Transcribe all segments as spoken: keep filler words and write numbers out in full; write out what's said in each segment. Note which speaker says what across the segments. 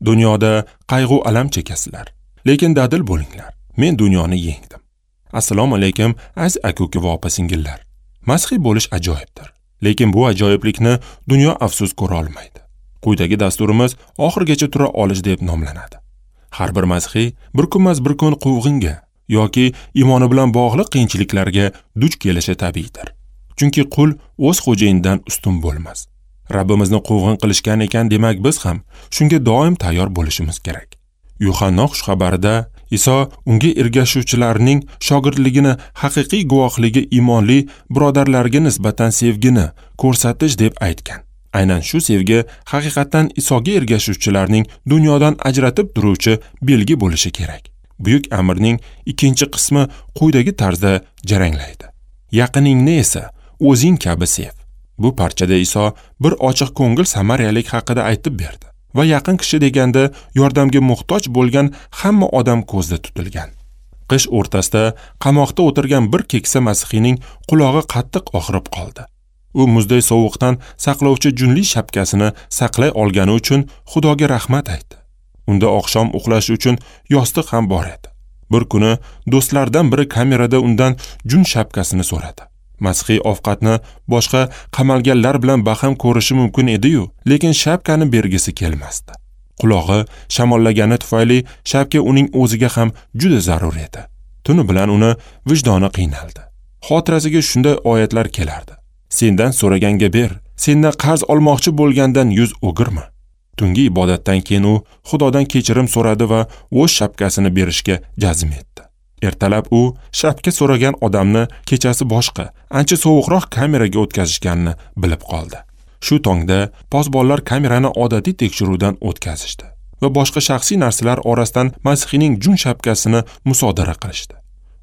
Speaker 1: Dunyoda qayg'u alam chekasizlar, lekin dadil bo'linglar. Men dunyoni yengdim. Assalomu alaykum aziz aka-uka va opa-singillar. Masihiy bo'lish ajoyibdir, lekin bu ajoyiblikni dunyo afsus ko'ra olmaydi. Quyidagi dasturimiz oxirigacha tura olish deb nomlanadi. Har bir masihiy bir kunmas bir kun quvg'inga yoki iymoni bilan bog'liq qiyinchiliklarga duch kelishi tabiiydir. Chunki qul o'z xo'jayinidan ustun bo'lmas. Rabbimizni quvg'in qilishgan ekan, demak biz ham shunga doim tayyor bo'lishimiz kerak. Yuhanno xushxabarida Iso unga ergashuvchilarning shogirdligini haqiqiy guvohligi iymonli birodarlarga nisbatan sevgini ko'rsatish deb aytgan. Aynan shu sevgi haqiqatan Isoga ergashuvchilarning dunyodan ajratib turuvchi belgi bo'lishi kerak. Buyuk amrning ikkinchi qismi quyidagi tarzda jaranglaydi. Yaqiningni esa o'zing kabi sev. Bu parchada Iso bir ochiq ko'ngil samariyalik haqida aytib berdi va yaqin kishi deganda yordamga muhtoj bo'lgan hamma odam ko'zda tutilgan. Qish o'rtasida qamoqda o'tirgan bir keksa masihiyning qulog'i qattiq og'rib qoldi. U muzday sovuqdan saqlovchi junli shapkasini saqlay olgani uchun Xudoga rahmat aytdi. Unda oqshom uxlash uchun yostiq ham bor edi. Bir kuni do'stlardan biri kamerada undan jun shapkasini so'radi. Masihiy ovqatni boshqa qamalganlar bilan baham ko'rishi mumkin edi-yu, lekin shapkani bergisi kelmasdi. Qulog'i shamollagani tufayli shapka uning o'ziga ham juda zarur edi. Tuni bilan uni vijdoni qiynaldi. Xotirasiga shunday oyatlar kelardi: Sendan so'raganga ber, sendan qarz olmoqchi bo'lgandan yuz o'girma. Tungi ibodatdan keyin u Xudodan kechirim so'radi va o'z shapkasini berishga jazm etdi. Ertalab u shapka so'ragan odamni kechasi boshqa, ancha sovuqroq kameraga o'tkazishganini bilib qoldi. Shu tongda posbonlar kamerani odatiy tekshiruvdan o'tkazishdi va boshqa shaxsiy narsalar orasidan masihiyning jun shapkasini musodara qilishdi.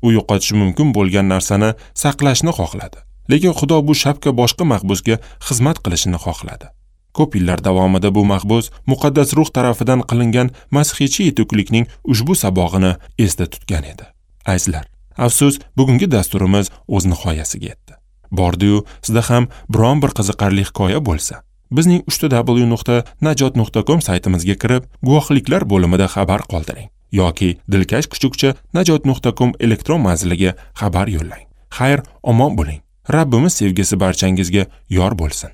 Speaker 1: U yo'qotishi mumkin bo'lgan narsani saqlashni xohladi, lekin Xudo bu shapka boshqa mahbusga xizmat qilishini xohladi. Ko'p yillar davomida bu mahbus muqaddas ruh tarafidan qilingan masihiychi yetuklikning ushbu sabog'ini esda tutgan edi. Azizlar, afsus, bugungi dasturimiz o'z nihoyasiga yetdi. Bordi-yu, sizda ham biron bir qiziqarli hikoya bo'lsa, bizning uch w nuqta najot nuqta com saytimizga kirib, guvohliklar bo'limida xabar qoldiring yoki dilkash kuchukcha najot nuqta com elektron manziliga xabar yo'llang. Xayr, omon bo'ling. Rabbimiz sevgisi barchangizga yor bo'lsin.